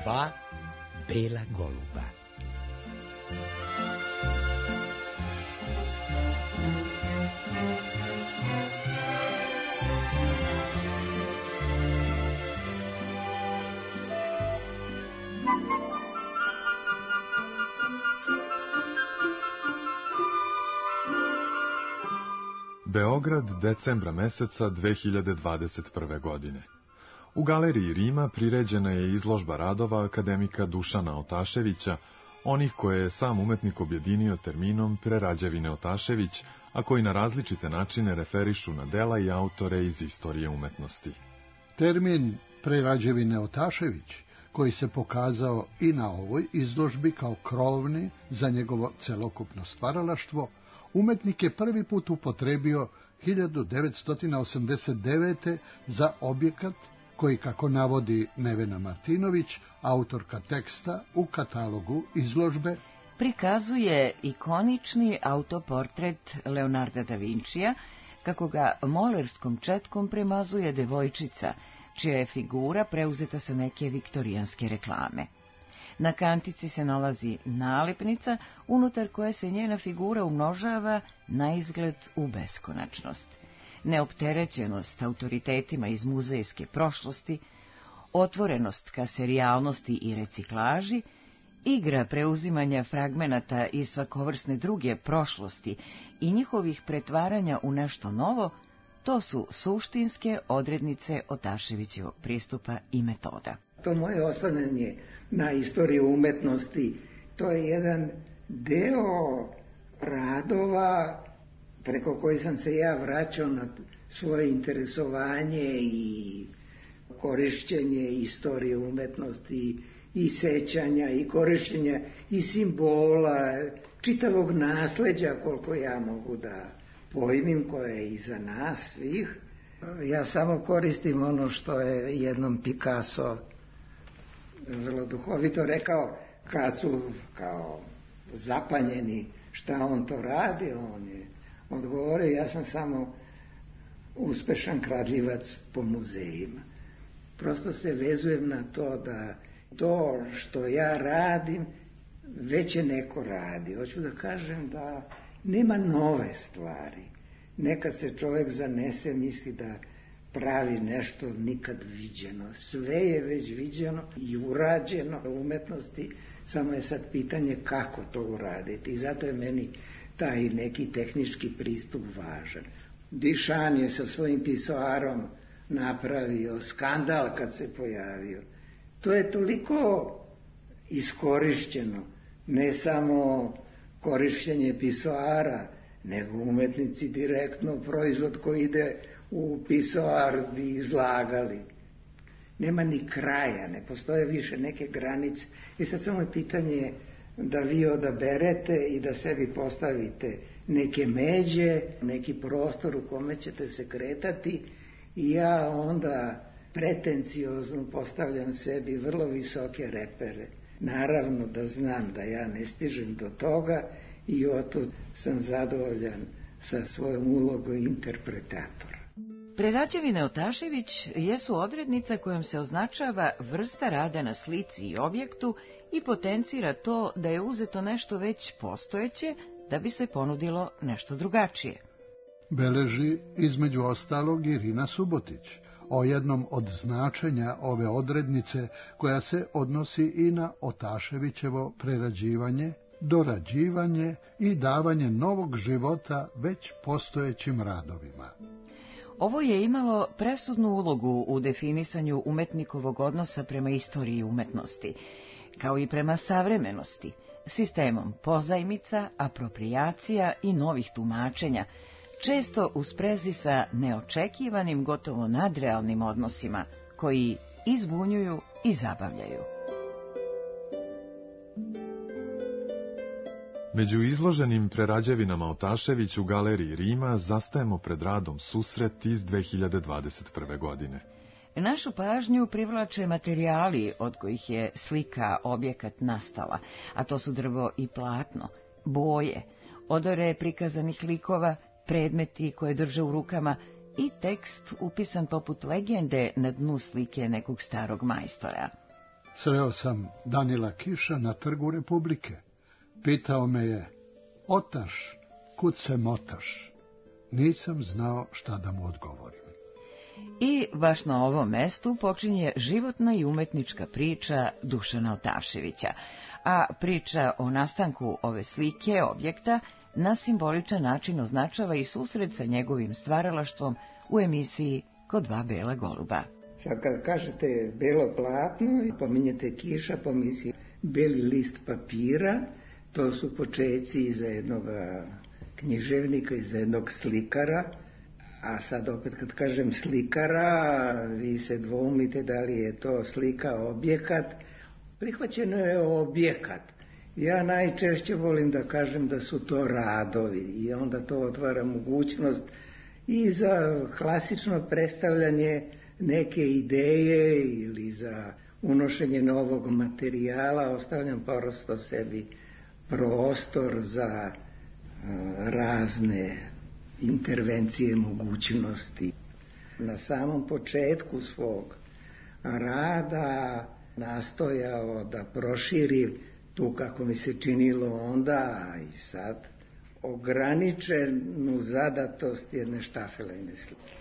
2 bela goluba. Beograd, decembra meseca 2021. godine. U galeriji Rima priređena je izložba radova akademika Dušana Otaševića, onih koje je sam umetnik objedinio terminom Prerađevine Otašević, a koji na različite načine referišu na dela i autore iz istorije umetnosti. Termin Prerađevine Otašević, koji se pokazao i na ovoj izložbi kao krovni za njegovo celokupno stvaralaštvo, umetnik je prvi put upotrebio 1989. za objekat koji, kako navodi Nevena Martinović, autorka teksta u katalogu izložbe, prikazuje ikonični autoportret Leonarda da Vincija, kako ga molerskom četkom premazuje devojčica, čija je figura preuzeta sa neke viktorijanske reklame. Na kantici se nalazi nalepnica, unutar koje se njena figura umnožava na izgled u beskonačnost. Neopterećenost autoritetima iz muzejske prošlosti, otvorenost ka serijalnosti i reciklaži, igra preuzimanja fragmenata iz svakovrsne druge prošlosti i njihovih pretvaranja u nešto novo, to su suštinske odrednice Otaševićevog pristupa i metoda. To moje oslanjanje na istoriju umetnosti, to je jedan deo radova preko koji sam se ja vraćao na svoje interesovanje i korišćenje istorije umetnosti i sećanja i korišćenja i simbola, čitavog nasleđa koliko ja mogu da pojmim, koje je iza nas svih. Ja samo koristim ono što je jednom Picasso vrlo duhovito rekao, kad su kao zapanjeni šta on to radi, on je odgovorio, ja sam samo uspešan kradljivac po muzejima. Prosto se vezujem na to da to što ja radim već je neko radi. Hoću da kažem da nema nove stvari. Nekad se čovjek zanese, misli da pravi nešto nikad viđeno. Sve je već viđeno i urađeno u umetnosti, samo je sad pitanje kako to uraditi. I zato je meni taj neki tehnički pristup važan. Dišan je sa svojim pisoarom napravio skandal kad se pojavio. To je toliko iskorišćeno, ne samo korišćenje pisoara, nego umetnici direktno proizvod koji ide u pisoar bi izlagali. Nema ni kraja, ne postoje više neke granice. I sad samo je pitanje da vi odaberete i da sebi postavite neke međe, neki prostor u kome ćete se kretati i ja onda pretenciozno postavljam sebi vrlo visoke repere. Naravno da znam da ja ne stižem do toga i otud sam zadovoljan sa svojom ulogom interpretatora. Prerađevine Otašević jesu odrednica kojom se označava vrsta rada na slici i objektu i potencira to da je uzeto nešto već postojeće da bi se ponudilo nešto drugačije. Beleži između ostalog Irina Subotić o jednom od značenja ove odrednice koja se odnosi i na Otaševićevo prerađivanje, dorađivanje i davanje novog života već postojećim radovima. Ovo je imalo presudnu ulogu u definisanju umetnikovog odnosa prema istoriji umetnosti, kao i prema savremenosti, sistemom pozajmica, aproprijacija i novih tumačenja, često u sprezi sa neočekivanim, gotovo nadrealnim odnosima, koji i zbunjuju i zabavljaju. Među izloženim prerađevinama Otašević u galeriji Rima zastajemo pred radom Susret iz 2021. godine. Našu pažnju privlače materijali od kojih je slika objekat nastala, a to su drvo i platno, boje, odore prikazanih likova, predmeti koje drže u rukama i tekst upisan poput legende na dnu slike nekog starog majstora. Sreo sam Danila Kiša na Trgu Republike. Pitao me je: "Otaš, kud se motaš?" Nisam znao šta da mu odgovorim. I baš na ovom mestu počinje životna i umetnička priča Dušana Otaševića, a priča o nastanku ove slike, objekta, na simboličan način označava i susret sa njegovim stvaralaštvom u emisiji Kod dva bela goluba. Sad kad kažete belo platno i pominjete Kiša, pomisli beli list papira, to su počeci iza jednog književnika, iza jednog slikara, a sad opet kad kažem slikara, vi se dvoumite da li je to slika, objekat. Prihvaćeno je objekat. Ja najčešće volim da kažem da su to radovi i onda to otvara mogućnost i za klasično predstavljanje neke ideje ili za unošenje novog materijala. Ostavljam prosto sebi prostor za razne intervencije, mogućnosti. Na samom početku svog rada nastojao da proširim tu, kako mi se činilo onda, a i sad, ograničenu zadatost jedne štafelajne slike.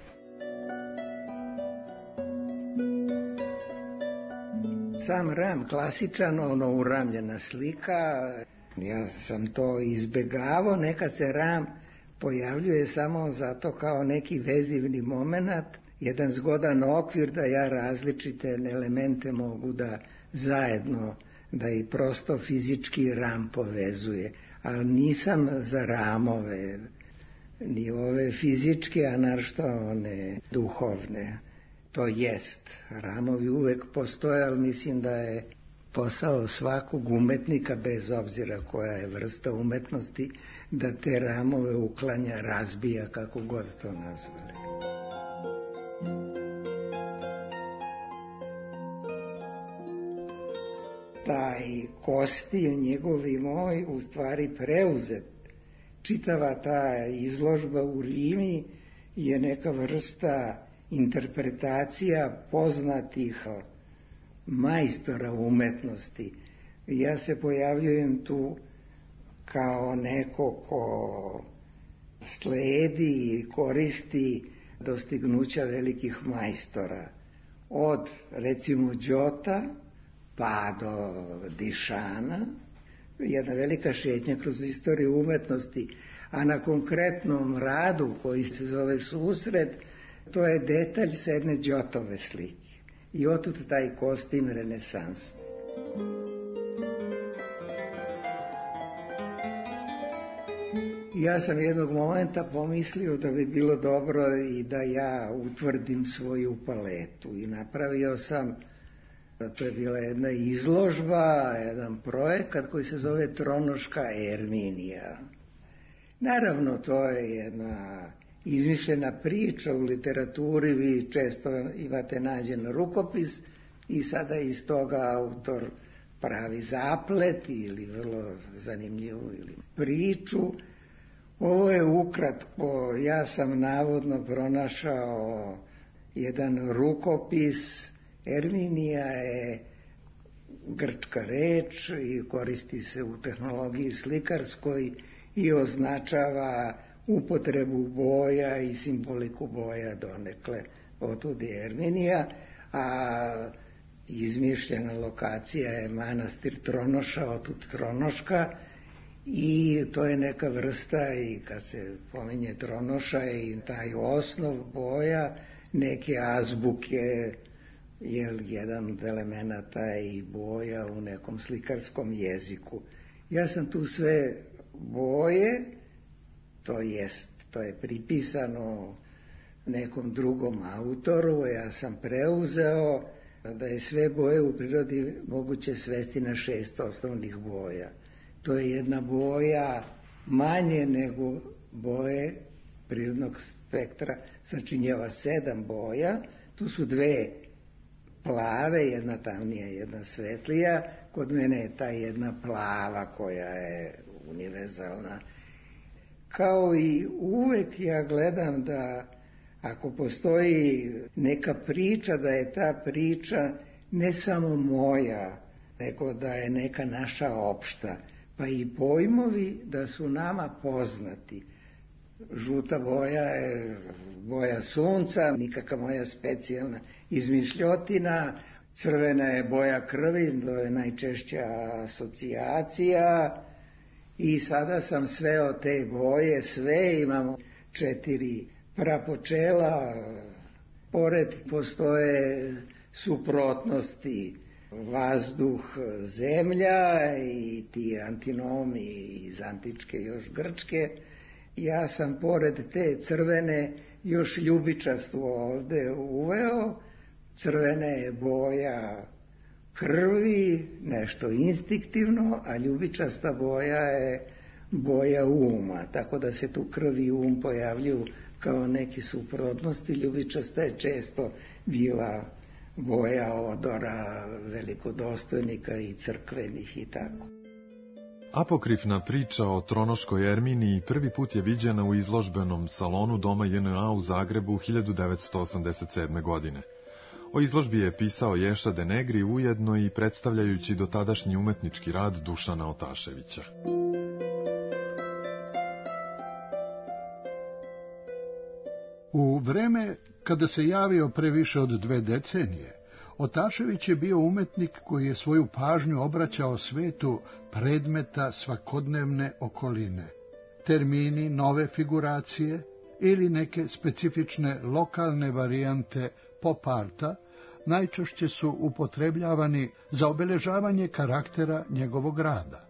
Sam ram, klasičan, uramljena slika, ja sam to izbegavao, nekad se ram pojavljuje samo zato kao neki vezivni moment, jedan zgodan okvir da ja različite elemente mogu da zajedno, da i prosto fizički ram povezuje. Ali nisam za ramove, ni ove fizičke, a naročito one duhovne. To jest, ramovi uvek postoje, ali mislim da je posao svakog umetnika, bez obzira koja je vrsta umetnosti, da te ramove uklanja, razbija, kako god to nazvali. Taj kostim njegov i moj u stvari preuzet. Čitava ta izložba u Rimi je neka vrsta interpretacija poznatih majstora umetnosti. Ja se pojavljujem tu kao neko ko sledi i koristi dostignuća velikih majstora. Od, recimo, Đota pa do Dišana, jedna velika šetnja kroz istoriju umetnosti, a na konkretnom radu koji se zove Susret, to je detalj s jedne Đotove slike. I otud taj kostim renesansni. Ja sam jednog momenta pomislio da bi bilo dobro i da ja utvrdim svoju paletu i napravio sam, to je bila jedna izložba, jedan projekat koji se zove Tronoška Erminija. Naravno, to je jedna izmišljena priča u literaturi, vi često imate nađen rukopis i sada iz toga autor pravi zaplet ili vrlo zanimljivu ili priču. Ovo je ukratko, ja sam navodno pronašao jedan rukopis. Erminija je grčka reč i koristi se u tehnologiji slikarskoj i označava upotrebu boja i simboliku boja donekle. Otud je Erminija, a izmišljena lokacija je manastir Tronoša, otud Tronoška, i to je neka vrsta, i kad se pominje Tronoša i taj osnov boja, neke azbuke, je jedan od elemenata i boja u nekom slikarskom jeziku. Ja sam tu sve boje, to je pripisano nekom drugom autoru, ja sam preuzeo da je sve boje u prirodi moguće svesti na 6 osnovnih boja. To je jedna boja manje nego boje prirodnog spektra, sačinjava 7 boja, tu su 2 plave, jedna tamnija, jedna svetlija, kod mene je ta jedna plava koja je univerzalna. Kao i uvek ja gledam da ako postoji neka priča, da je ta priča ne samo moja, nego da je neka naša opšta, pa i pojmovi da su nama poznati. Žuta boja je boja sunca, nikakva moja specijalna izmišljotina, crvena je boja krvi, to je najčešća asocijacija, i sada sam sveo te boje, sve imamo 4 prapočela, pored postoje suprotnosti, vazduh, zemlja i ti antinomi iz antičke još grčke. Ja sam pored te crvene još ljubičastu ovde uveo. Crvena je boja krvi, nešto instinktivno, a ljubičasta boja je boja uma, tako da se tu krv i um pojavljuju kao neki suprotnosti. Ljubičasta je često bila boja odora velikodostojnika i crkvenih i tako. Apokrifna priča o tronoškoj Erminiji prvi put je viđena u izložbenom salonu Doma JNA u Zagrebu 1987. godine. O izložbi je pisao Ješa de Negri, ujedno i predstavljajući dotadašnji umetnički rad Dušana Otaševića. U vreme kada se javio pre više od 2 decenije, Otašević je bio umetnik koji je svoju pažnju obraćao svetu predmeta svakodnevne okoline. Termini nove figuracije ili neke specifične lokalne varijante pop arta najčešće su upotrebljavani za obeležavanje karaktera njegovog rada.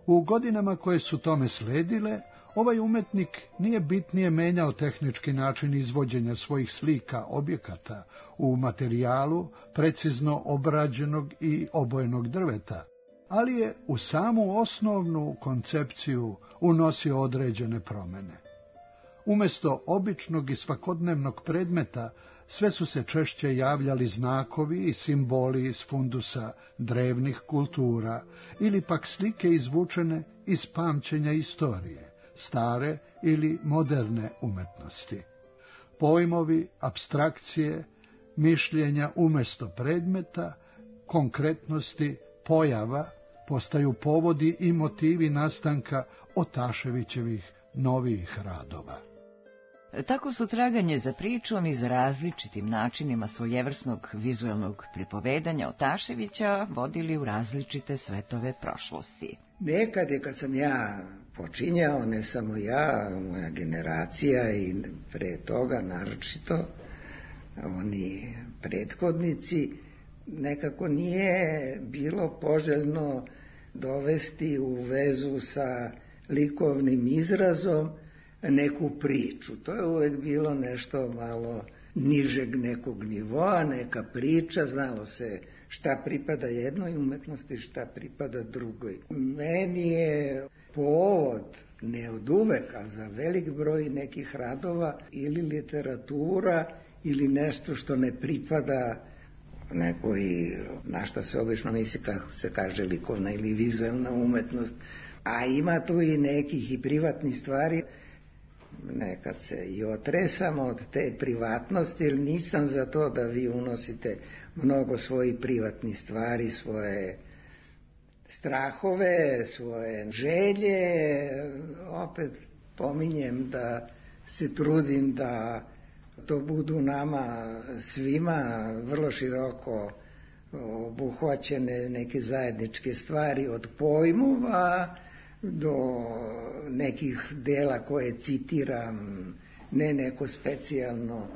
U godinama koje su tome sledile, ovaj umetnik nije bitnije menjao tehnički način izvođenja svojih slika objekata u materijalu precizno obrađenog i obojenog drveta, ali je u samu osnovnu koncepciju unosio određene promene. Umesto običnog i svakodnevnog predmeta, sve su se češće javljali znakovi i simboli iz fundusa drevnih kultura ili pak slike izvučene iz pamćenja istorije, stare ili moderne umetnosti. Pojmovi, apstrakcije, mišljenja umesto predmeta, konkretnosti, pojava postaju povodi i motivi nastanka Otaševićevih novijih radova. Tako su traganje za pričom i za različitim načinima svojevrsnog vizuelnog pripovedanja Otaševića vodili u različite svetove prošlosti. Nekad je, kad sam ja počinjao, ne samo ja, moja generacija i pre toga naročito, oni prethodnici, nekako nije bilo poželjno dovesti u vezu sa likovnim izrazom neku priču. To je uvek bilo nešto malo nižeg nekog nivoa, neka priča, znalo se šta pripada jednoj umetnosti, šta pripada drugoj. Meni je povod, ne od uvek, a za velik broj nekih radova, ili literatura, ili nešto što ne pripada nekoj, na šta se obično misli, kako se kaže, likovna ili vizuelna umetnost. A ima tu i nekih i privatnih stvari. Nekad se i otresam od te privatnosti, jer nisam za to da vi unosite mnogo svojih privatnih stvari, svoje strahove, svoje želje. Opet pominjem da se trudim da to budu nama svima vrlo široko obuhvaćene neke zajedničke stvari, od pojmova do nekih dela koje citiram, ne neko specijalno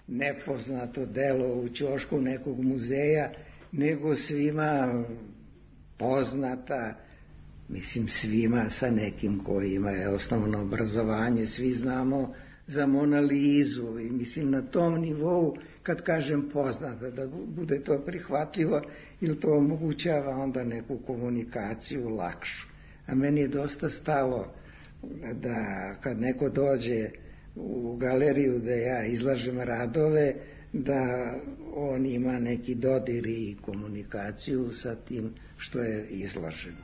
nepoznato delo u ćošku nekog muzeja, nego svima poznata, mislim svima sa nekim koji ima osnovno obrazovanje, svi znamo za Mona Lizu i mislim na tom nivou, kad kažem poznata, da bude to prihvatljivo ili to omogućava onda neku komunikaciju lakšu. A meni je dosta stalo da kad neko dođe u galeriju da ja izlažem radove, da on ima neki dodir i komunikaciju sa tim što je izloženo.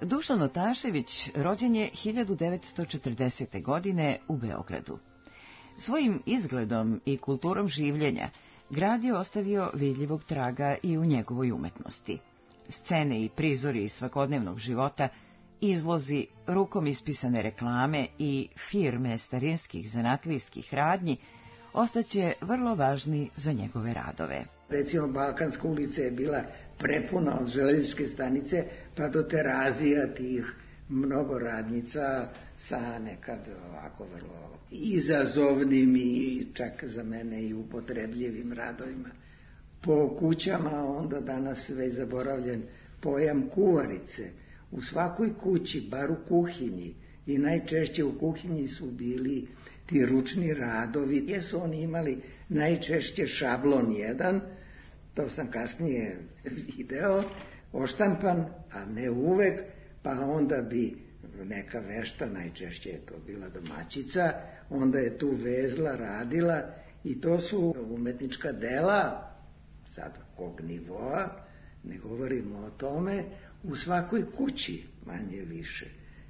Dušan Otašević rođen je 1940. godine u Beogradu. Svojim izgledom i kulturom življenja grad je ostavio vidljivog traga i u njegovoj umetnosti. Scene i prizori iz svakodnevnog života, izlozi, rukom ispisane reklame i firme starinskih zanatlijskih radnji ostaće vrlo važni za njegove radove. Recimo, Balkanska ulica je bila prepuna od železničke stanice pa do Terazija tih mnogo radnica sa nekad ovako vrlo izazovnim i čak za mene i upotrebljivim radovima. Po kućama onda danas već zaboravljen pojam kuvarice. U svakoj kući, bar u kuhinji, i najčešće u kuhinji su bili ti ručni radovi, gdje su oni imali najčešće šablon jedan, to sam kasnije video, oštampan, a ne uvek, pa onda bi neka vešta, najčešće je to bila domaćica, onda je tu vezla, radila, i to su umetnička dela, sad kog nivoa, ne govorimo o tome, u svakoj kući manje više.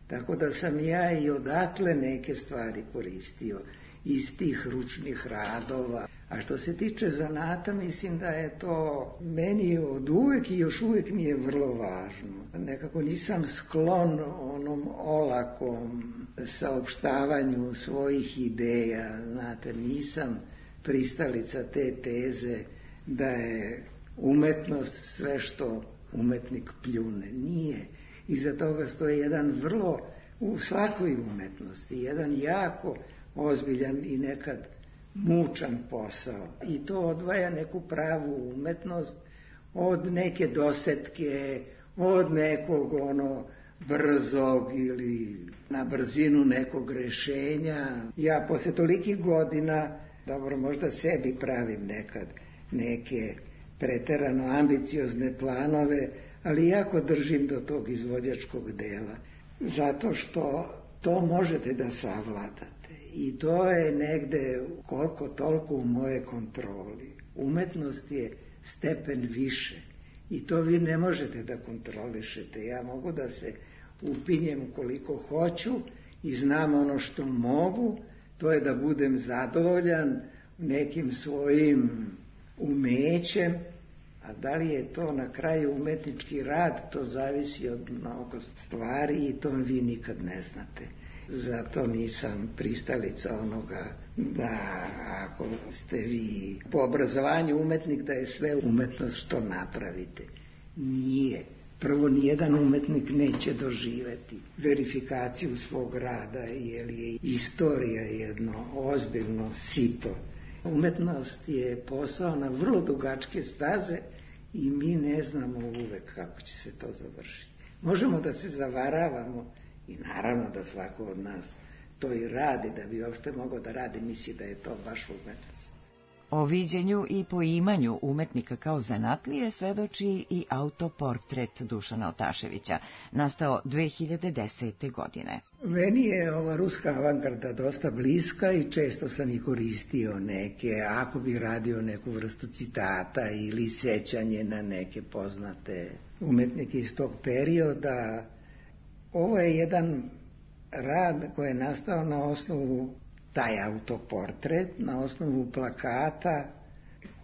Tako da sam ja i odatle neke stvari koristio iz tih ručnih radova. A što se tiče zanata, mislim da je to meni od uvek i još uvek mi je vrlo važno. Nekako nisam sklon onom olakom saopštavanju svojih ideja. Znate, nisam pristalica te teze da je umetnost sve što umetnik pljune. Nije. Iza toga stoji jedan vrlo, u svakoj umetnosti, jedan jako ozbiljan i nekad mučan posao. I to odvaja neku pravu umetnost od neke dosetke, od nekog brzog ili na brzinu nekog rešenja. Ja posle tolikih godina, dobro, možda sebi pravim nekad neke preterano ambiciozne planove, ali jako držim do tog izvođačkog dela, zato što to možete da savladate i to je negde koliko toliko u moje kontroli. Umetnost je stepen više i to vi ne možete da kontrolišete. Ja mogu da se upinjem koliko hoću i znam ono što mogu, to je da budem zadovoljan nekim svojim umećem, a da li je to na kraju umetnički rad, to zavisi od mnogo stvari i to vi nikad ne znate. Zato nisam pristalica onoga da ako ste vi po obrazovanju umetnik da je sve umetnost što napravite. Nije. Prvo, nijedan umetnik neće doživeti verifikaciju svog rada, jer je istorija jedno ozbiljno sito. Umetnost je posao na vrlo dugačke staze i mi ne znamo uvek kako će se to završiti. Možemo da se zavaravamo i naravno da svako od nas to i radi, da bi uopšte mogao da radi, misli da je to baš umetnost. O viđenju i poimanju umetnika kao zanatlije svedoči i autoportret Dušana Otaševića, nastao 2010. godine. Meni je ova ruska avangarda dosta bliska i često sam i koristio neke, ako bi radio neku vrstu citata ili sećanje na neke poznate umetnike iz tog perioda. Ovo je jedan rad koji je nastao na osnovu, taj autoportret, na osnovu plakata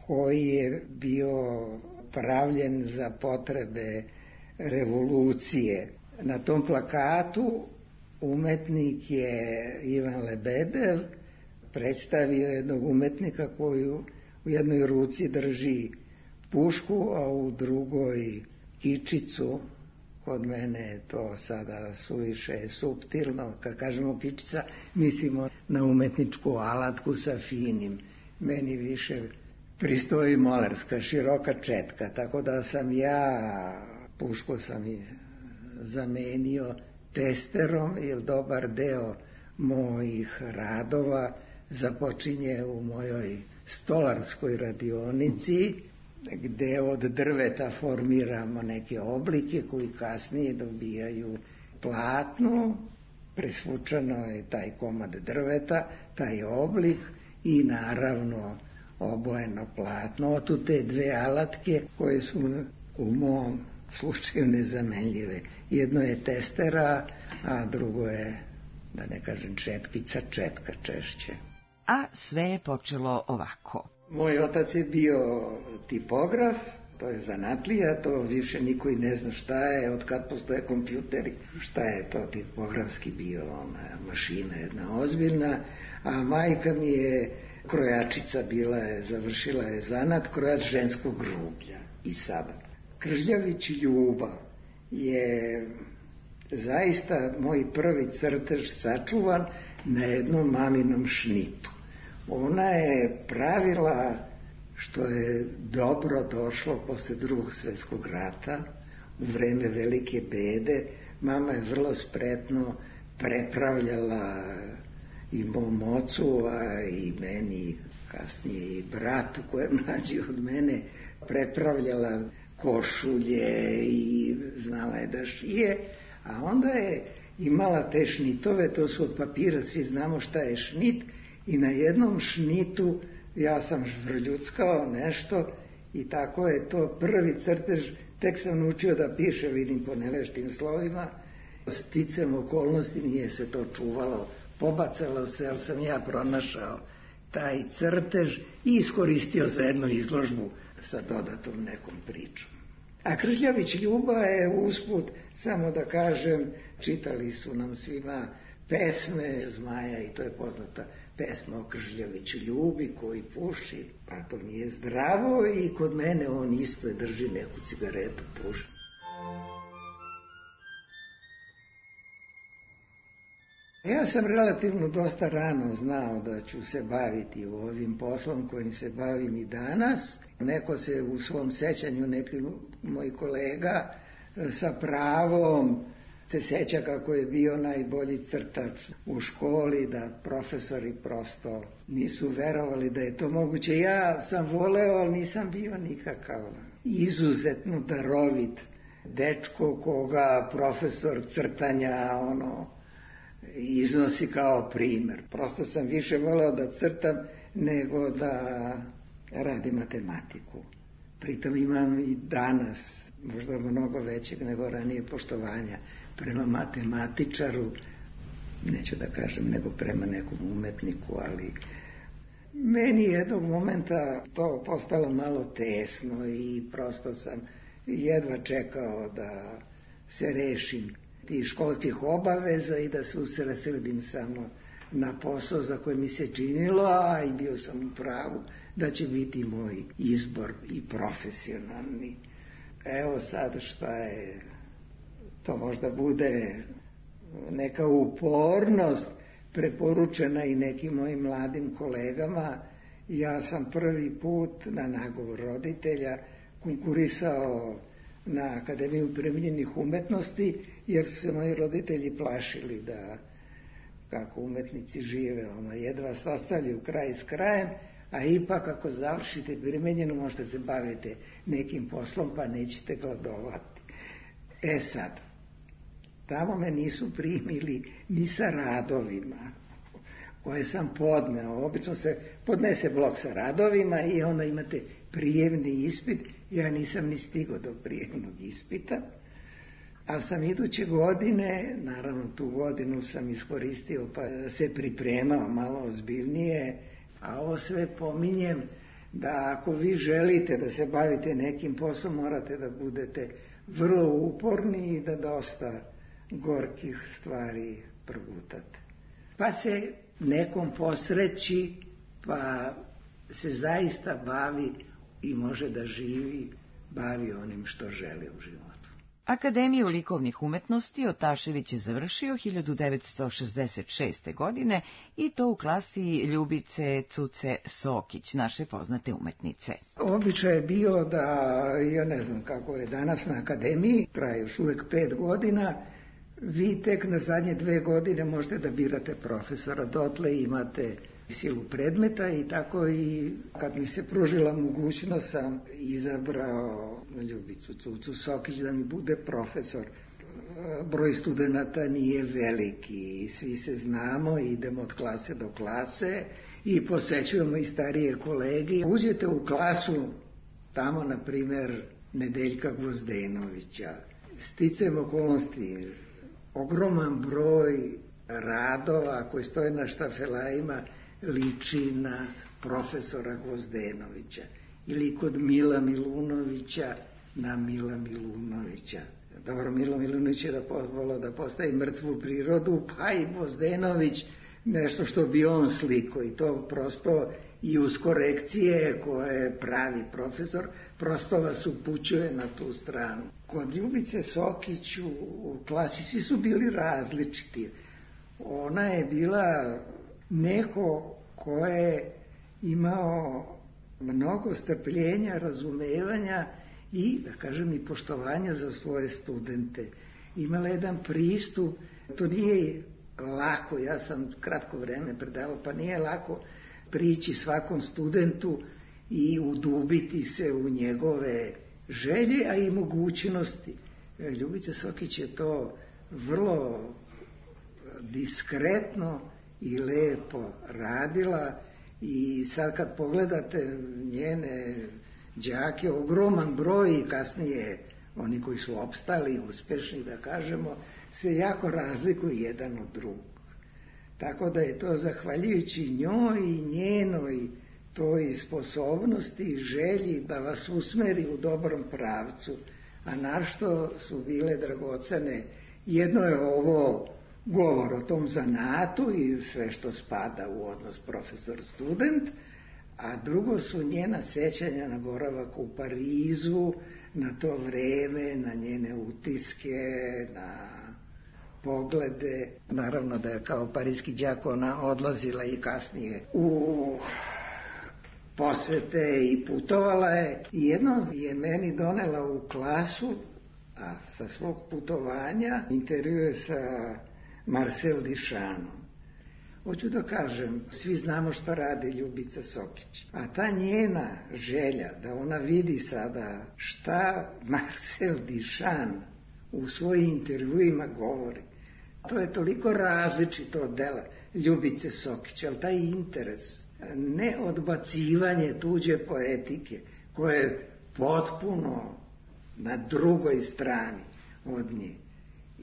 koji je bio pravljen za potrebe revolucije. Na tom plakatu umetnik je Ivan Lebedev predstavio jednog umetnika koji u jednoj ruci drži pušku, a u drugoj kičicu. Kod mene je to sada suviše suptilno. Kad kažemo kičica, mislimo na umetničku alatku sa finim. Meni više pristoji molerska, široka četka, tako da sam ja, pušku sam i zamenio testerom, jer dobar deo mojih radova započinje u mojoj stolarskoj radionici, gde od drveta formiramo neke oblike koji kasnije dobijaju platno, presvučeno je taj komad drveta, taj oblik i naravno obojeno platno. Otu te dve alatke koje su u mom slučaju nezamenljive. Jedno je testera, a drugo je, da ne kažem četkica, četka češće. A sve je počelo ovako. Moj otac je bio tipograf, to je zanatlija, to više niko i ne zna šta je, od kad postoje kompjuteri, šta je to tipografski bio, ona mašina jedna ozbiljna, a majka mi je krojačica bila, završila je zanat, krojač ženskog rublja i sada. Kržljavić Ljuba je zaista moj prvi crtež sačuvan na jednom maminom šnitu. Ona je pravila, što je dobro došlo posle Drugog svjetskog rata, u vreme velike bede. Mama je vrlo spretno prepravljala i mom ocu, a i meni, kasnije i bratu koji je mlađi od mene, prepravljala košulje i znala je da šije, a onda je imala te šnitove, to su od papira, svi znamo šta je šnit, i na jednom šnitu ja sam žvrljuckao nešto i tako je to prvi crtež, tek sam naučio da piše, vidim po neveštim slovima, sticam okolnosti nije se to čuvalo, pobacalo se, ali sam ja pronašao taj crtež i iskoristio za jednu izložbu sa dodatom nekom pričom. A Kržljavić Ljuba je usput, samo da kažem, čitali su nam svima pesme Zmaja i to je poznata pesma o Kržljaviću Ljubi koji puši, pa to nije zdravo i kod mene on isto drži neku cigaretu, puši. Ja sam relativno dosta rano znao da ću se baviti ovim poslom kojim se bavim i danas. Neko se u svom sećanju, neki moj kolega sa pravom se seća kako je bio najbolji crtač u školi, da profesori prosto nisu verovali da je to moguće. Ja sam voleo, ali nisam bio nikakav izuzetno darovit dečko koga profesor crtanja iznosi kao primer. Prosto sam više voleo da crtam nego da radim matematiku. Pritom imam i danas možda mnogo većeg nego ranije poštovanja prema matematičaru, neću da kažem nego prema nekom umetniku, ali meni jednog momenta to postalo malo tesno i prosto sam jedva čekao da se rešim tih školskih obaveza i da se usredsredim samo na posao za koje mi se činilo, a i bio sam u pravu da će biti moj izbor i profesionalni. Evo sad šta je, to možda bude neka upornost preporučena i nekim mojim mladim kolegama. Ja sam prvi put na nagovor roditelja konkurisao na Akademiju primijenjenih umetnosti, jer su se moji roditelji plašili da kako umetnici žive, jedva sastavljaju kraj s krajem, a ipak ako završite primenjenu možete se baviti nekim poslom pa nećete gladovati. Sad, tamo me nisu primili ni sa radovima koje sam podneo. Obično se podnese blok sa radovima i onda imate prijemni ispit. Ja nisam ni stigao do prijemnog ispita, ali sam iduće godine, naravno tu godinu sam iskoristio pa se pripremao malo ozbiljnije, a ovo sve pominjem da ako vi želite da se bavite nekim poslom morate da budete vrlo uporni i da dosta gorkih stvari progutate. Pa se nekom posreći, pa se zaista bavi i može da živi, bavi onim što želi u životu. Akademiju likovnih umetnosti Otašević je završio 1966. godine i to u klasi Ljubice Cuce Sokić, naše poznate umetnice. Običaj je bio da, ja ne znam kako je danas na akademiji, traje još uvek 5 godina, vi tek na zadnje 2 godine možete da birate profesora, dotle imate silu predmeta i tako i kad mi se pružila mogućnost sam izabrao Ljubicu Cucu Sokić da mi bude profesor. Broj studenata nije veliki, svi se znamo, idemo od klase do klase i posećujemo i starije kolege. Uđete u klasu, tamo na primjer Nedeljka Gvozdenovića. Sticajem okolnosti, ogroman broj radova koji stoje na štafelajima liči na profesora Gvozdenovića ili kod Mila Milunovića na Mila Milunovića. Dobro, Milo Milunović je volao da postavi mrtvu prirodu, pa i Gvozdenović nešto što bi on sliko, i to prosto i uz korekcije koje pravi profesor, prosto vas upućuje na tu stranu. Kod Ljubice Sokić u klasi svi su bili različiti. Ona je bila neko ko je imao mnogo strpljenja, razumevanja i, da kažem, i poštovanja za svoje studente. Imala jedan pristup, to nije lako, ja sam kratko vreme predavao, pa nije lako prići svakom studentu i udubiti se u njegove želje, a i mogućnosti. Ljubica Sokić je to vrlo diskretno i lepo radila, i sad kad pogledate njene đake, ogroman broj, i kasnije oni koji su opstali, uspešni da kažemo, se jako razlikuju jedan od drugog. Tako da je to zahvaljujući njoj i njenoj toj sposobnosti i želji da vas usmeri u dobrom pravcu, a našto su bile dragocene. Jedno je ovo govor o tom zanatu i sve što spada u odnos profesor-student, a drugo su njena sećanja na boravak u Parizu, na to vreme, na njene utiske, na poglede. Naravno da je kao parijski đak ona odlazila i kasnije u posete i putovala je. I jednom je meni donela u klasu, a sa svog putovanja, intervjue sa Marcel Duchampom. Hoću da kažem, svi znamo šta radi Ljubica Sokić, a ta njena želja da ona vidi sada šta Marcel Duchamp u svojim intervjuima govori, to je toliko različito od dela Ljubice Sokić, ali taj interes, ne odbacivanje tuđe poetike, koje je potpuno na drugoj strani od nje.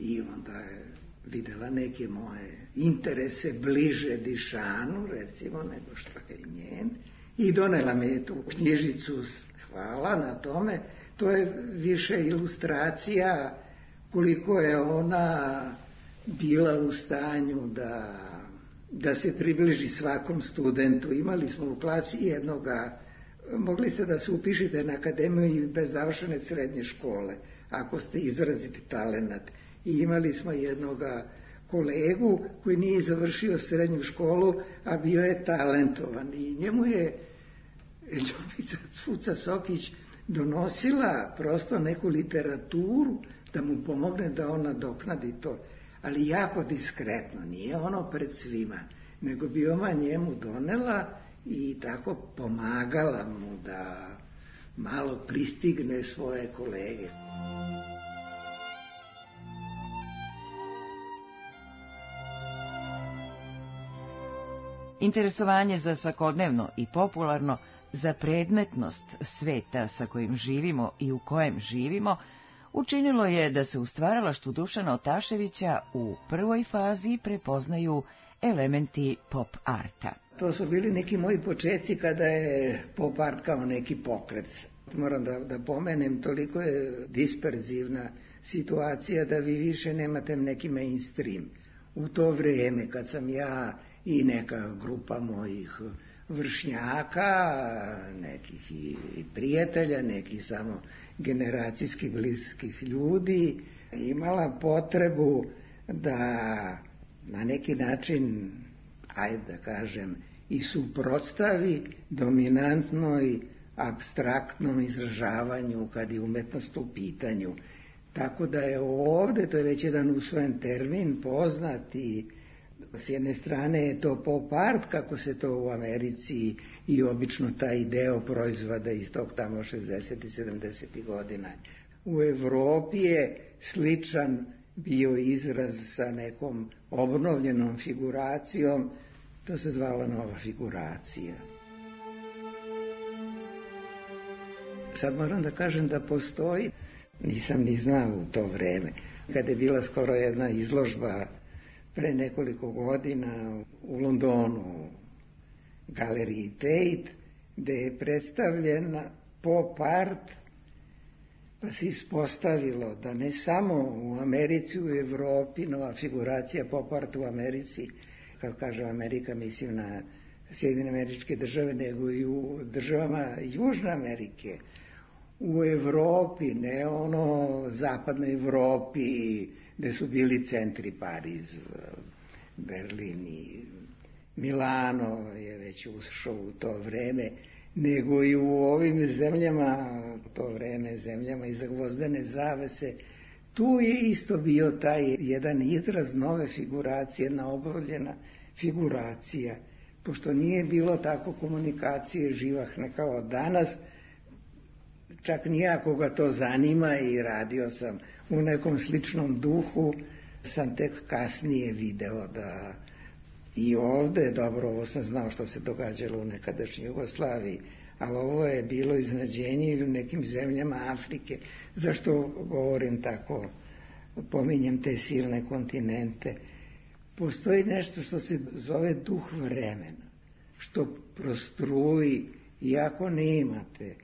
I onda je videla neke moje interese bliže Duchampu, recimo, nego što je njen, i donela me tu knjižicu, hvala na tome. To je više ilustracija koliko je ona bila u stanju da se približi svakom studentu. Imali smo u klasi jednoga, mogli ste da se upišete na akademiju i bez završene srednje škole, ako ste izraziti talenat. I imali smo jednoga kolegu koji nije završio srednju školu, a bio je talentovan. I njemu je Ljubica Sokić donosila prosto neku literaturu da mu pomogne da on nadoknadi to. Ali jako diskretno, nije ono pred svima, nego bi ona njemu donela i tako pomagala mu da malo pristigne svoje kolege. Interesovanje za svakodnevno i popularno, za predmetnost sveta sa kojim živimo i u kojem živimo, učinilo je da se u stvaralaštvu Dušana Otaševića u prvoj fazi prepoznaju elementi pop arta. To su bili neki moji početci kada je pop art kao neki pokret. Moram da pomenem, toliko je disperzivna situacija da vi više nemate neki mainstream. U to vrijeme kad sam ja i neka grupa mojih vršnjaka, nekih i prijatelja, nekih samo generacijski bliskih ljudi, imala potrebu da na neki način, ajde da kažem, i suprotstavi dominantnoj apstraktnom izražavanju kad je umetnost u pitanju. Tako da je ovde, to je već jedan usvojen termin, poznati. S jedne strane je to pop art, kako se to u Americi i obično taj deo proizvoda iz tog tamo 60. i 70. godina. U Evropi je sličan bio izraz sa nekom obnovljenom figuracijom, to se zvala nova figuracija. Sad moram da kažem da postoji, nisam ni znao u to vreme, kada je bila skoro jedna izložba pre nekoliko godina u Londonu, galeriji Tate, gde je predstavljena pop art, pa se ispostavilo da ne samo u Americi, u Evropi, nova figuracija pop art u Americi, kad kažem Amerika mislim na Sjedinjene Američke Države, nego i u državama Južne Amerike, u Evropi, ne ono zapadnoj Evropi, gde su bili centri Pariz, Berlin i Milano je već ušao u to vreme, nego i u ovim zemljama, to vreme zemljama iza gvozdene zavese, tu je isto bio taj jedan izraz nove figuracije, jedna obavljena figuracija, pošto nije bilo tako komunikacije živahne kao danas, čak nijako ga to zanima i radio sam u nekom sličnom duhu, sam tek kasnije video da i ovde, dobro, ovo sam znao što se događalo u nekadašnjoj Jugoslaviji, ali ovo je bilo iznenađenje ili u nekim zemljama Afrike. Zašto govorim tako, pominjem te silne kontinente? Postoji nešto što se zove duh vremena, što prostruji, iako nemate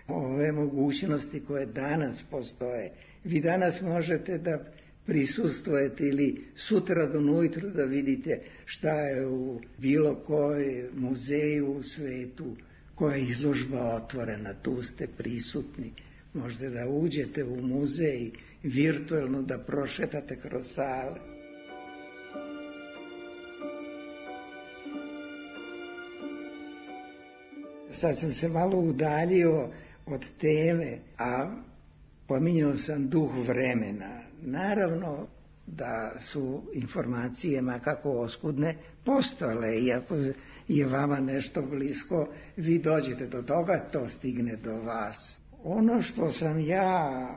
ove mogućnosti koje danas postoje. Vi danas možete da prisustvujete ili sutra do ujutru da vidite šta je u bilo kojoj muzeju u svetu, koja je izložba otvorena, tu ste prisutni. Možete da uđete u muzej, virtualno da prošetate kroz sale. Sad sam se malo udaljio od teme, a pominjao sam duh vremena. Naravno da su informacije, makako oskudne, postojale, iako je vama nešto blisko, vi dođete do toga, to stigne do vas. Ono što sam ja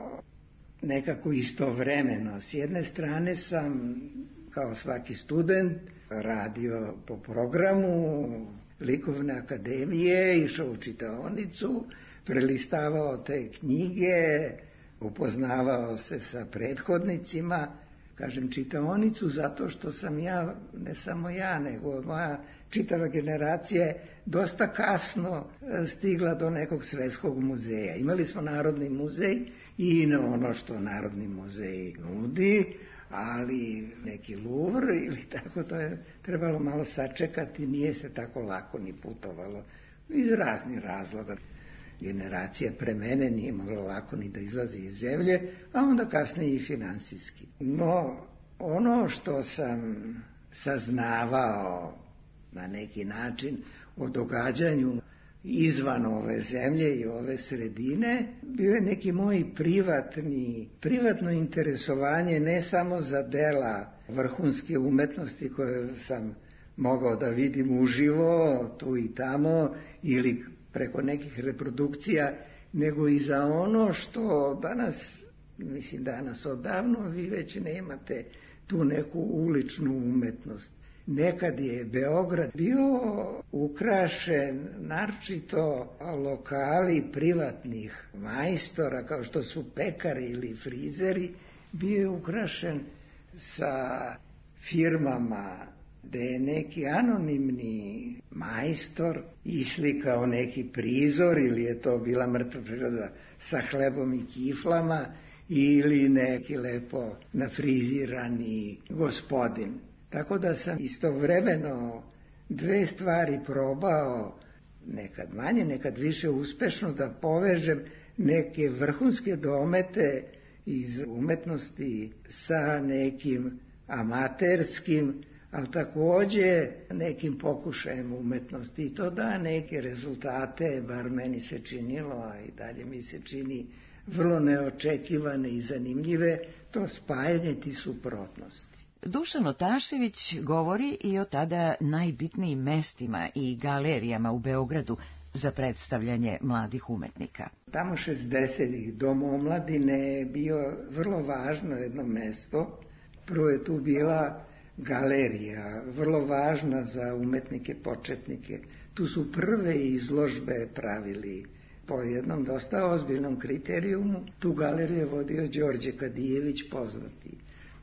nekako istovremeno, s jedne strane sam, kao svaki student, radio po programu Likovne akademije, išao u čitaonicu, prelistavao te knjige, upoznavao se sa prethodnicima, kažem čitaonicu zato što sam ja, ne samo ja, nego moja čitava generacija je dosta kasno stigla do nekog svetskog muzeja. Imali smo Narodni muzej i ono što Narodni muzej nudi, ali neki Louvre ili tako, to je trebalo malo sačekati, nije se tako lako ni putovalo iz raznih razloga. Generacija pre mene nije mogla lako ni da izlazi iz zemlje, a onda kasnije i finansijski. No, ono što sam saznavao na neki način o događanju izvan ove zemlje i ove sredine, bio je neki moj privatno interesovanje ne samo za dela vrhunske umetnosti koje sam mogao da vidim uživo tu i tamo ili preko nekih reprodukcija, nego i za ono što danas, mislim danas odavno, vi već nemate tu neku uličnu umetnost. Nekad je Beograd bio ukrašen naročito lokali privatnih majstora, kao što su pekari ili frizeri, bio je ukrašen sa firmama gde je neki anonimni majstor islikao neki prizor, ili je to bila mrtva priroda sa hlebom i kiflama, ili neki lepo nafrizirani gospodin. Tako da sam istovremeno dve stvari probao, nekad manje, nekad više uspešno, da povežem neke vrhunske domete iz umetnosti sa nekim amaterskim, ali takođe nekim pokušajem umetnosti, i to da neke rezultate, bar meni se činilo, a i dalje mi se čini, vrlo neočekivane i zanimljive, to spajanje ti suprotnosti. Dušan Otašević govori i o tada najbitnijim mestima i galerijama u Beogradu za predstavljanje mladih umetnika. Tamo 60-ih Dom omladine je bio vrlo važno jedno mesto. Prvo je tu bila galerija, vrlo važna za umetnike početnike. Tu su prve izložbe pravili po jednom dosta ozbiljnom kriterijumu. Tu galeriju je vodio Đorđe Kadijević, poznati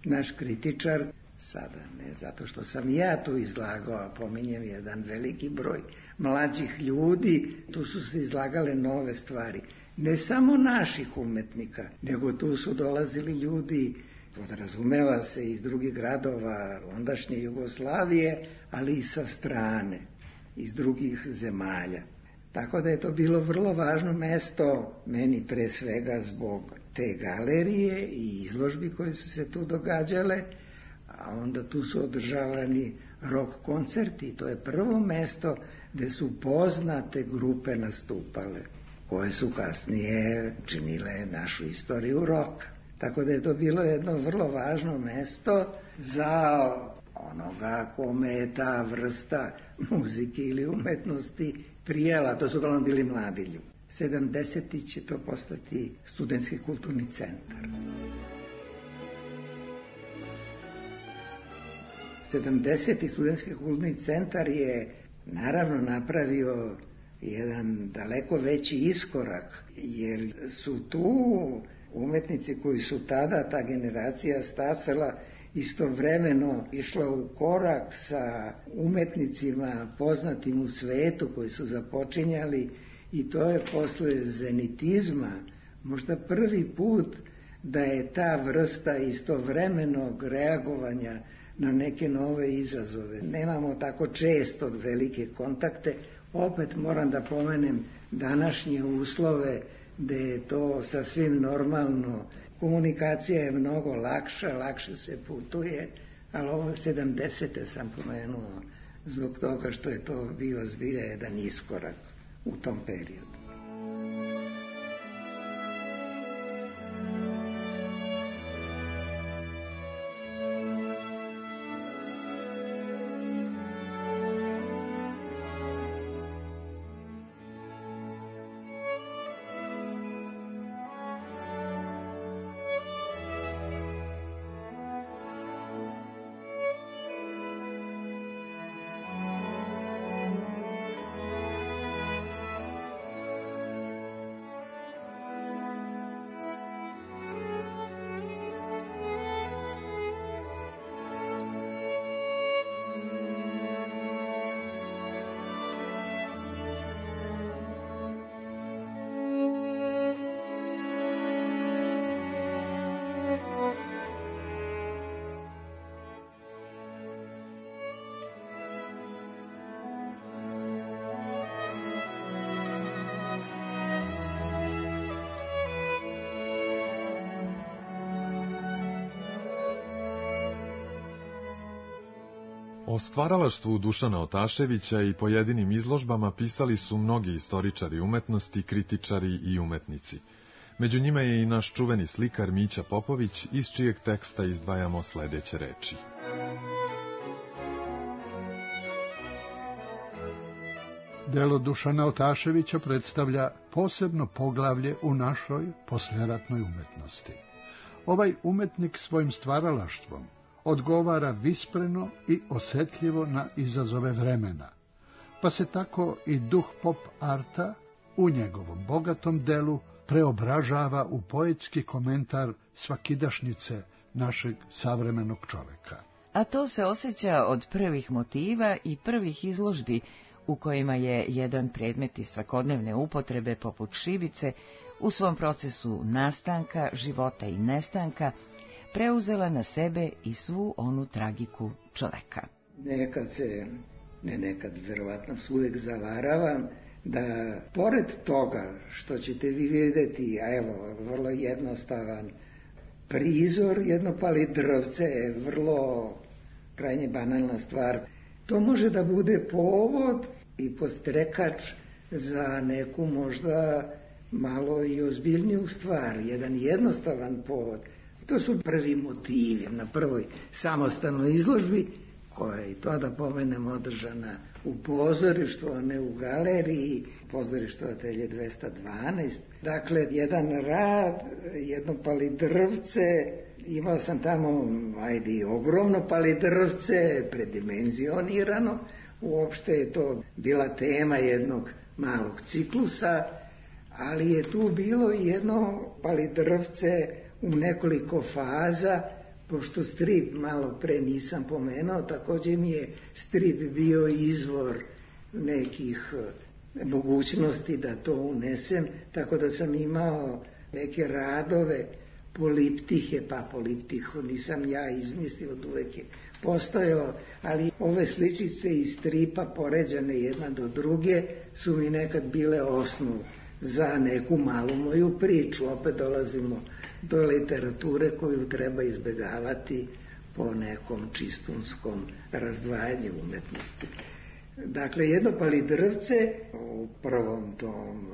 naš kritičar, sada ne zato što sam ja tu izlagao, a pominjem jedan veliki broj mlađih ljudi, tu su se izlagale nove stvari. Ne samo naših umetnika, nego tu su dolazili ljudi, podrazumeva se, iz drugih gradova ondašnje Jugoslavije, ali i sa strane, iz drugih zemalja. Tako da je to bilo vrlo važno mesto, meni pre svega zbog te galerije i izložbi koje su se tu događale, a onda tu su održavani rock koncerti. To je prvo mesto gde su poznate grupe nastupale, koje su kasnije činile našu istoriju roka. Tako da je to bilo jedno vrlo važno mesto za onoga kome je ta vrsta muzike ili umetnosti prijela. To su uglavnom bili mladi ljudi. 70. će to postati studentski kulturni centar. 70. studentski kulturni centar je naravno napravio jedan daleko veći iskorak, jer su tu umetnici koji su tada, ta generacija stasala, istovremeno išla u korak sa umetnicima poznatim u svetu koji su započinjali, i to je posle zenitizma možda prvi put da je ta vrsta istovremenog reagovanja na neke nove izazove. Nemamo tako često velike kontakte. Opet moram da pomenem današnje uslove gde je to sasvim normalno. Komunikacija je mnogo lakša, lakše se putuje, ali ovo 70. sam pomenuo zbog toga što je to bio zbilja jedan iskorak u tom periodu. O stvaralaštvu Dušana Otaševića i pojedinim izložbama pisali su mnogi istoričari umetnosti, kritičari i umetnici. Među njima je i naš čuveni slikar Mića Popović, iz čijeg teksta izdvajamo sledeće reči. Delo Dušana Otaševića predstavlja posebno poglavlje u našoj posleratnoj umetnosti. Ovaj umetnik svojim stvaralaštvom odgovara vispreno i osetljivo na izazove vremena, pa se tako i duh pop arta u njegovom bogatom delu preobražava u poetski komentar svakidašnjice našeg savremenog čoveka. A to se osjeća od prvih motiva i prvih izložbi u kojima je jedan predmet iz svakodnevne upotrebe poput šibice u svom procesu nastanka, života i nestanka preuzela na sebe i svu onu tragiku čoveka. Nekad se, ne nekad, verovatno se uvek zavaravam, da pored toga što ćete vi vidjeti, a evo, vrlo jednostavan prizor, jedno pali drvce je vrlo krajnje banalna stvar. To može da bude povod i podstrekač za neku možda malo i ozbiljniju stvar, jedan jednostavan povod. To su prvi motivi na prvoj samostalnoj izložbi, koja je i to da pomenem održana u pozorištu, a ne u galeriji, pozorištu Atelje 212. Dakle, jedan rad, jedno palidrvce, imao sam tamo, ogromno palidrvce, predimenzionirano, uopšte je to bila tema jednog malog ciklusa, ali je tu bilo i jedno palidrvce u nekoliko faza, pošto strip malo pre nisam pomenuo, također mi je strip bio izvor nekih mogućnosti da to unesem, tako da sam imao neke radove poliptihe, pa poliptiho nisam ja izmislio, od uvek je postojao, ali ove sličice iz stripa poređane jedna do druge su mi nekad bile osnov za neku malu moju priču. Opet dolazimo do literature koju treba izbjegavati po nekom čistunskom razdvajanju umetnosti. Dakle, jedno palidrvce u prvom tom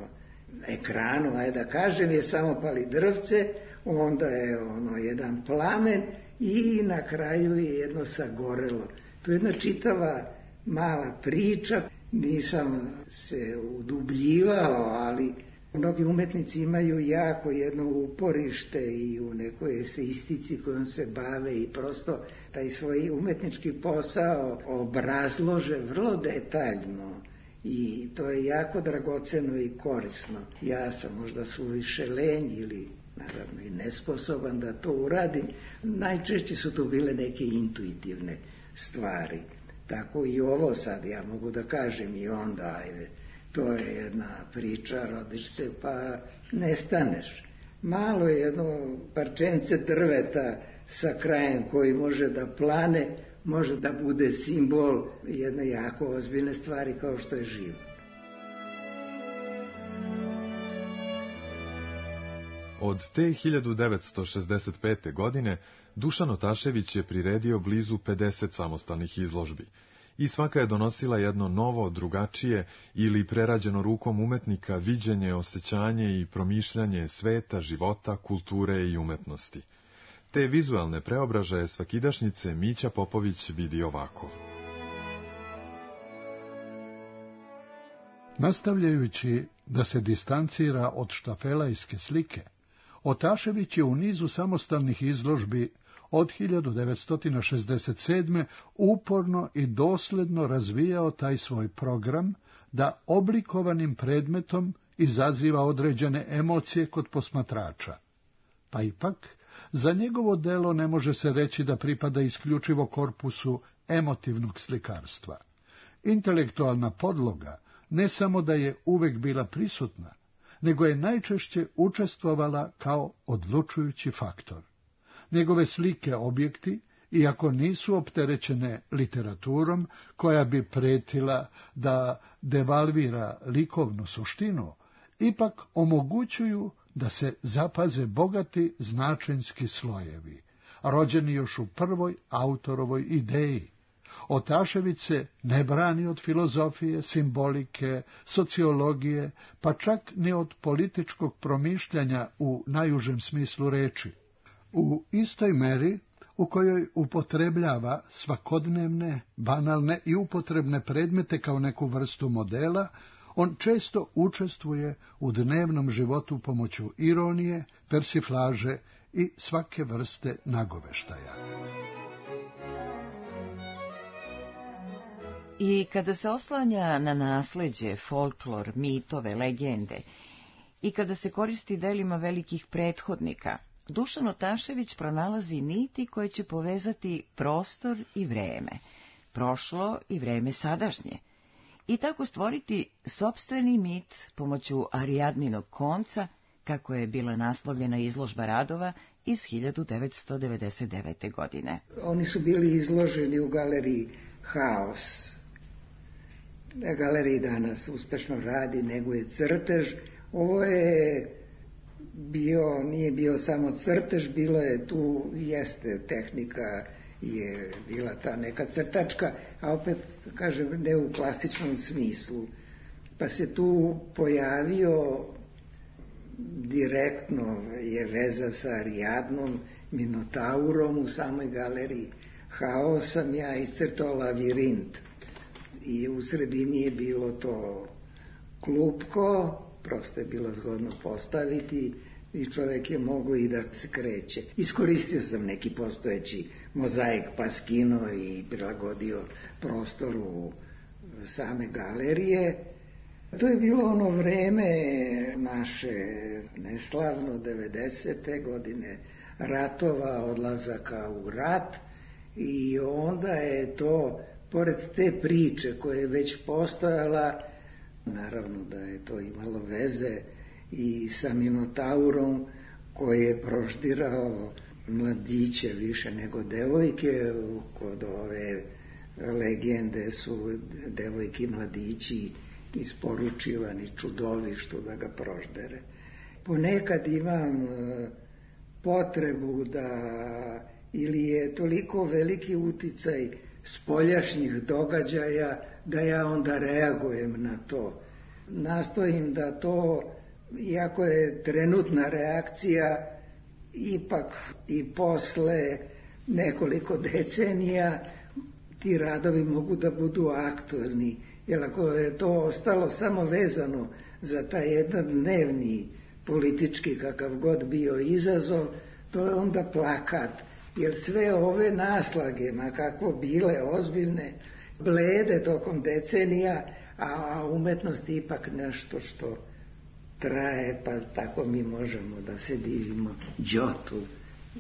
ekranu, ajde da kažem, je samo palidrvce, onda je jedan plamen i na kraju je jedno sagorelo. To je jedna čitava mala priča, nisam se udubljivao, ali mnogi umetnici imaju jako jedno uporište i u nekoj eseistici kojom se bave i prosto taj svoj umetnički posao obrazlože vrlo detaljno i to je jako dragoceno i korisno. Ja sam možda suviše lenj ili naravno i nesposoban da to uradim. Najčešće su to bile neke intuitivne stvari. Tako i ovo sad ja mogu da kažem i onda, ajde, to je jedna priča, rodiš se pa nestaneš. Malo je jedno parčence drveta sa krajem koji može da plane, može da bude simbol jedne jako ozbiljne stvari kao što je život. Od te 1965. godine Dušan Otašević je priredio blizu 50 samostalnih izložbi i svaka je donosila jedno novo, drugačije ili prerađeno rukom umetnika viđenje, osjećanje i promišljanje sveta, života, kulture i umetnosti. Te vizualne preobražaje svakidašnjice Mića Popović vidi ovako. Nastavljajući da se distancira od štafelajske slike, Otašević je u nizu samostalnih izložbi od 1967. uporno i dosledno razvijao taj svoj program da oblikovanim predmetom izaziva određene emocije kod posmatrača. Pa ipak, za njegovo delo ne može se reći da pripada isključivo korpusu emotivnog slikarstva. Intelektualna podloga ne samo da je uvek bila prisutna, nego je najčešće učestvovala kao odlučujući faktor. Njegove slike objekti, iako nisu opterećene literaturom koja bi pretila da devalvira likovnu suštinu, ipak omogućuju da se zapaze bogati značenjski slojevi, rođeni još u prvoj autorovoj ideji. Otašević se ne brani od filozofije, simbolike, sociologije, pa čak ni od političkog promišljanja u najužem smislu reči. U istoj meri u kojoj upotrebljava svakodnevne, banalne i upotrebne predmete kao neku vrstu modela, on često učestvuje u dnevnom životu pomoću ironije, persiflaže i svake vrste nagoveštaja. I kada se oslanja na nasleđe, folklor, mitove, legende i kada se koristi delima velikih prethodnika, Dušan Otašević pronalazi niti koje će povezati prostor i vreme, prošlo i vreme sadašnje, i tako stvoriti sopstveni mit pomoću Arijadninog konca, kako je bila naslovljena izložba radova iz 1999. godine. Oni su bili izloženi u galeriji Haos. Galeriji danas uspešno radi, neguje crtež. Ovo je nije bio samo crtež, bilo je tu, jeste tehnika, je bila ta neka crtačka, a opet, kažem, ne u klasičnom smislu. Pa se tu pojavio direktno je veza sa Arijadnom, Minotaurom u samoj galeriji Haos sam ja iscrtao lavirint i u sredini je bilo to klupko, prosto je bilo zgodno postaviti i čovjek je mogao i da se kreće. Iskoristio sam neki postojeći mozaik pa skinuo i prilagodio prostoru same galerije, To je bilo ono vreme naše neslavno 90. godine, ratova, odlazaka u rat, i onda je to, pored te priče koja je već postojala, naravno da je to imalo veze i sa Minotaurom koji je proždirao mladiće više nego devojke. Kod ove legende su devojki i mladići isporučivani čudovištu da ga proždere. Ponekad imam potrebu da, ili je toliko veliki uticaj spoljašnjih događaja, da ja onda reagujem na to. Nastojim da to, iako je trenutna reakcija, ipak i posle nekoliko decenija ti radovi mogu da budu aktuelni. Jer ako je to ostalo samo vezano za taj jedan dnevni politički, kakav god bio izazov, to je onda plakat. Jer sve ove naslage, ma kako bile ozbiljne, blede tokom decenija, a umetnost je ipak nešto što traje, pa tako mi možemo da se divimo đotu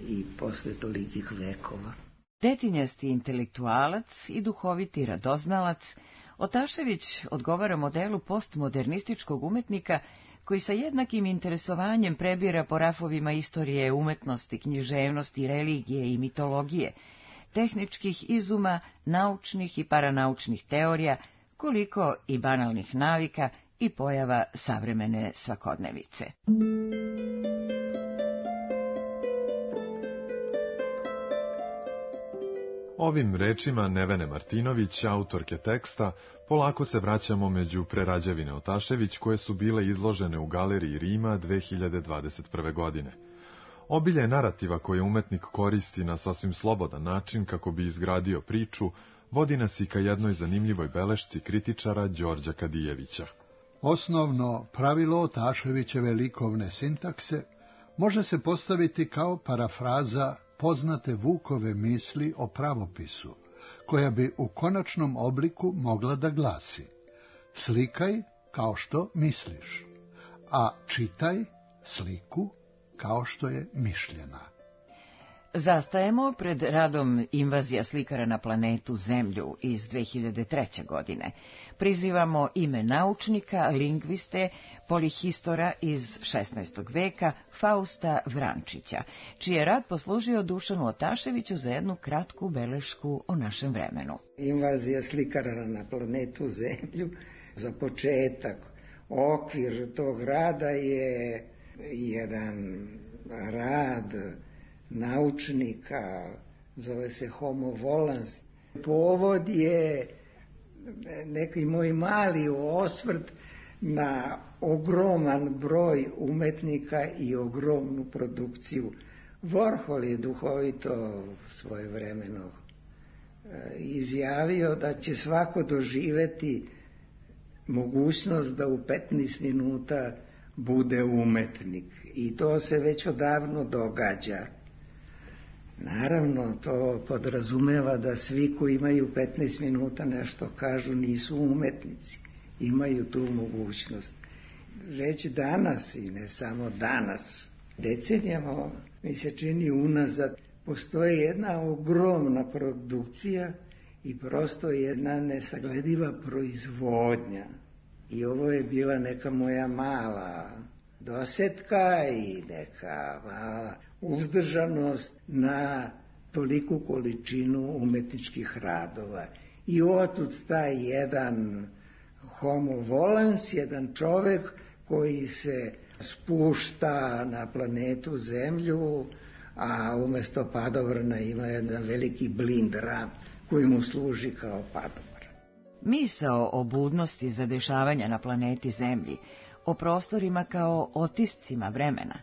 i posle tolikih vekova. Detinjasti intelektualac i duhoviti radoznalac, Otašević odgovara modelu postmodernističkog umetnika koji sa jednakim interesovanjem prebira po rafovima istorije umetnosti, književnosti, religije i mitologije, tehničkih izuma, naučnih i paranaučnih teorija, koliko i banalnih navika i pojava savremene svakodnevice. Ovim rečima Nevene Martinović, autorke teksta, polako se vraćamo među prerađevine Otašević koje su bile izložene u Galeriji Rima 2021. godine. Obilje narativa koje umetnik koristi na sasvim slobodan način kako bi izgradio priču, vodi nas i ka jednoj zanimljivoj belešci kritičara Đorđa Kadijevića. Osnovno pravilo Otaševićeve likovne sintakse može se postaviti kao parafraza poznate Vukove misli o pravopisu, koja bi u konačnom obliku mogla da glasi: slikaj kao što misliš, a čitaj sliku kao što je mišljena. Zastajemo pred radom Invazija slikara na planetu Zemlju iz 2003. godine. Prizivamo ime naučnika, lingviste, polihistora iz 16. veka Fausta Vrančića, čiji je rad poslužio Dušanu Otaševiću za jednu kratku belešku o našem vremenu. Invazija slikara na planetu Zemlju, za početak, okvir tog rada je jedan rad naučnika, zove se Homo volans. Povod je neki moj mali osvrt na ogroman broj umetnika i ogromnu produkciju. Warhol je duhovito svojevremeno izjavio da će svako doživeti mogućnost da u 15 minuta bude umetnik. I to se već odavno događa. Naravno, to podrazumeva da svi koji imaju 15 minuta nešto kažu nisu umetnici. Imaju tu mogućnost. Već danas, i ne samo danas, decenijama mi se čini unazad, postoji jedna ogromna produkcija i prosto jedna nesaglediva proizvodnja. I ovo je bila neka moja mala dosetka i neka mala uzdržanost na toliku količinu umetničkih radova. I otud taj jedan homo volans, jedan čovek koji se spušta na planetu Zemlju, a umesto padobrana ima jedan veliki blind ram koji mu služi kao padobran. Misao o budnosti zadešavanja na planeti Zemlji, o prostorima kao otiscima vremena,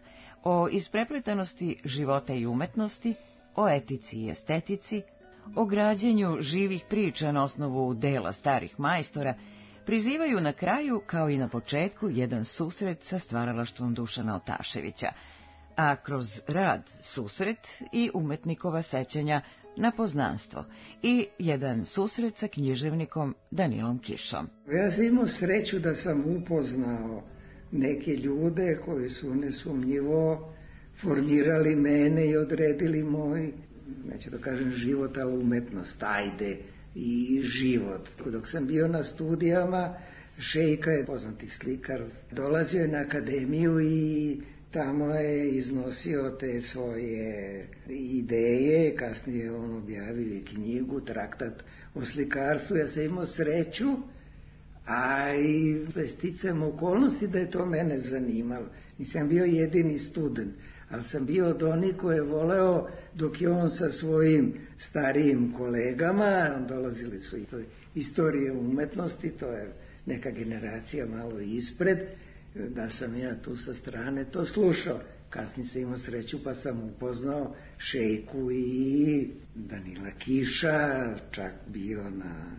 o isprepletanosti života i umetnosti, o etici i estetici, o građenju živih priča na osnovu dela starih majstora, prizivaju na kraju, kao i na početku, jedan susret sa stvaralaštvom Dušana Otaševića. a kroz rad susret i umetnikova sećanja na poznanstvo i jedan susret sa književnikom Danilom Kišom. Ja sam imao sreću da sam upoznao neke ljude koji su nesumnjivo formirali mene i odredili moj, neću da kažem život, ali umetnost, ajde, i život. Dok sam bio na studijama, Šejka je poznati slikar, dolazio je na akademiju i tamo je iznosio te svoje ideje, kasnije on objavio i knjigu, traktat o slikarstvu. Ja sam imao sreću, a i sticajem okolnosti da je to mene zanimalo. Nisam bio jedini student, ali sam bio od onih koje je voleo dok je on sa svojim starijim kolegama, dolazili su istorije umetnosti, to je neka generacija malo ispred, da sam ja tu sa strane to slušao. Kasnije sam imao sreću pa sam upoznao Šejku i Danila Kiša, čak bio na,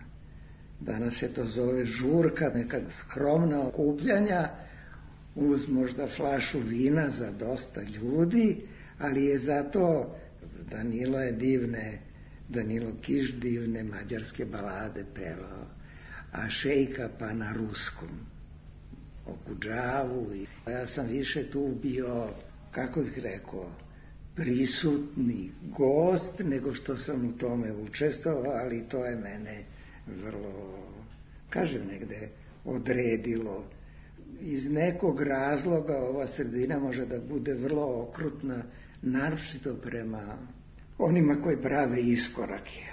danas se to zove žurka, neka skromna okupljanja, uz možda flašu vina za dosta ljudi, ali je zato Danilo Kiš divne mađarske balade pevao, a Šejka pa na ruskom, Okudžavu. Ja sam više tu bio, kako bih rekao, prisutni gost, nego što sam u tome učestvovao, ali to je mene vrlo, kažem, negde odredilo. Iz nekog razloga ova sredina može da bude vrlo okrutna, naročito prema onima koji prave iskorake.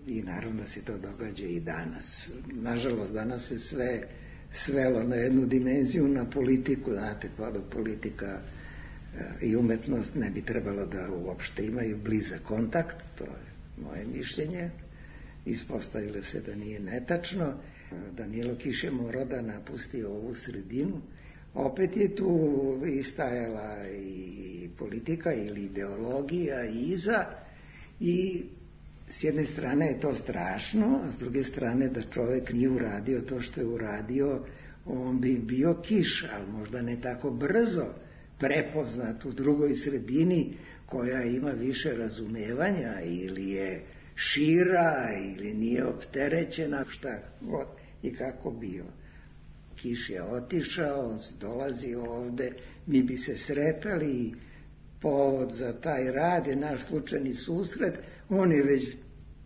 I naravno da se to događa i danas. Nažalost, danas se sve svelo na jednu dimenziju, na politiku. Znate, politika i umetnost ne bi trebalo da uopšte imaju blizak kontakt, to je moje mišljenje. Ispostavilo se da nije netačno. Danilo Kiš je morao da napusti ovu sredinu. Opet je tu istajala i politika ili ideologija iza, i s jedne strane je to strašno, a s druge strane da čovjek nije uradio to što je uradio, on bi bio Kiš, ali možda ne tako brzo prepoznat u drugoj sredini koja ima više razumevanja ili je šira ili nije opterećena, šta god i kako bio. Kiš je otišao, on dolazi ovde, mi bi se sretali i povod za taj rad je naš slučajni susret. On je već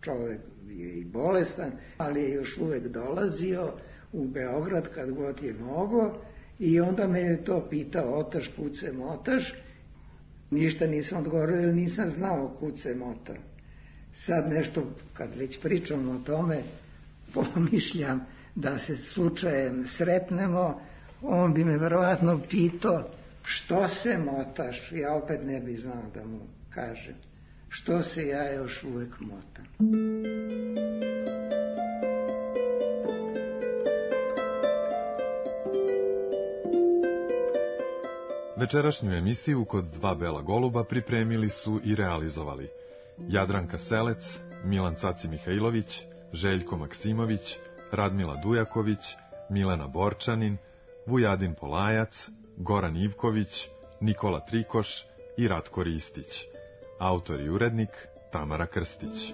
čovjek bio i bolestan, ali je još uvek dolazio u Beograd kad god je mogo, i onda me je to pitao: otaš, kud se motaš? Ništa nisam odgovorio jer nisam znao kud se mota. Sad nešto, kad već pričam o tome, pomišljam da se slučajem sretnemo, on bi me verovatno pitao: što se motaš? Ja opet ne bi znao da mu kažem što se ja još uvek motam. Večerašnju emisiju kod Dva bela goluba pripremili su i realizovali Jadranka Selec, Milan Caci Mihajlović, Željko Maksimović, Radmila Dujaković, Milena Borčanin, Vujadin Polajac, Goran Ivković, Nikola Trikoš i Ratko Ristić. Autor i urednik Tamara Krstić.